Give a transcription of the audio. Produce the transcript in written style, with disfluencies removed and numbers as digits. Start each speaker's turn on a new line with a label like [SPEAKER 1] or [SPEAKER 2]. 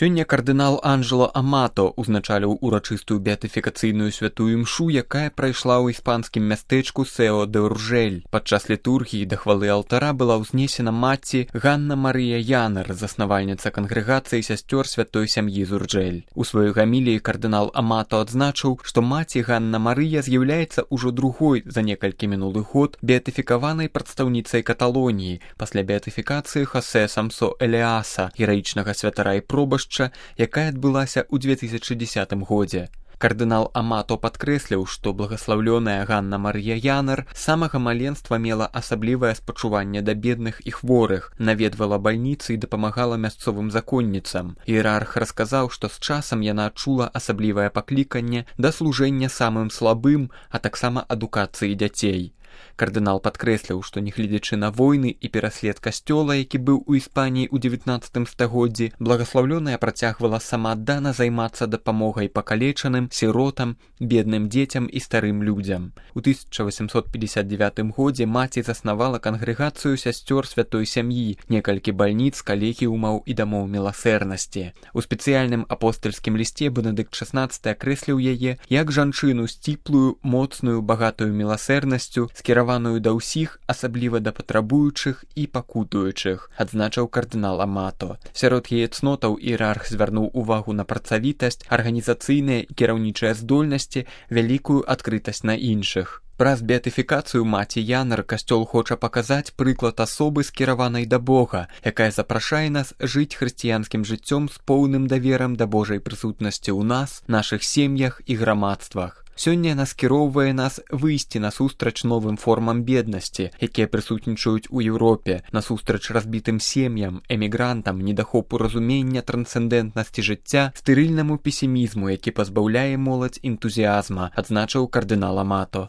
[SPEAKER 1] Сёння кардынал Анджело Амато узначаліў урачыстую беатыфікацыйную святую імшу, якая прайшла ў іспанскім мястэчку Сео-де-Уржель. Падчас літургіі да хвалы алтара была ўзнесена маці Ганна Марыя Янар, заснавальніца кангрэгацыі сясцёр святой сям'і з Уржель. У сваёй гаміліі кардынал Амато адзначыў, што маці Ганна Марыя з'яўляецца ўжо другой за некалькі мінулы год беатыфікаванай прадстаўніцай Каталоніі пасля беатыфікацыі Хосе Самсо Элеаса, гераічнага святара і пробашча, якая адбылася ў 2010 годзе. Кардынал Амато падкрэсліў, што благаслаўлёная Ганна Марыя Янар з самага маленства мела асаблівае спачуванне да бедных і хворых, наведвала бальніцы і дапамагала мясцовым законніцам. Іерарх расказаў, што з часам яна адчула асаблівае пакліканне да служэння самым слабым, а таксама адукацыі дзяцей. Кардынал падкрэсліў, што нягледзячы на войны і пераслед касцёла, які быў у Іспаніі ў 19 стагоддзі, благаслаўлёная працягвала самааддана займацца дапамогай пакалечаным, сіротам, бедным дзецям і старым людзям. У 1859 годзе маці заснавала кангрэгацыю сясцёр святой сям'і, некалькі бальніц, калегіумаў і дамоў міласэрнасці. У спецыяльным апостальскім лісце Бенедыкт XVI акрэсліў яе як жанчыну сціплую, моцную, багатую міласэрнасцю, скіраваную да ўсіх, асабліва да патрабуючых і пакутуючых, адзначыў кардынал Амато. Сярод яе цнотаў іерарх звярнуў увагу на працавітасць, арганізацыйныя і кіраўнічыя здольнасці, вялікую адкрытасць на іншых. Праз беатыфікацыю маці Янар касцёл хоча паказаць прыклад асобы, скіраванай да Бога, якая запрашае нас жыць хрысціянскім жыццём з поўным даверам да Божай прысутнасці ў нас, нашых сем'ях і грамадствах. Сёння яна скіроўвае нас выйсці насустрач новым формам беднасці, якія прысутнічаюць у Еўропе, насустрач разбітым сем'ям, эмігрантам, недахопу разумення трансцэндэнтнасці жыцця, стэрыльнаму песімізму, які пазбаўляе моладзь энтузіазма, адзначыў кардынал Амато.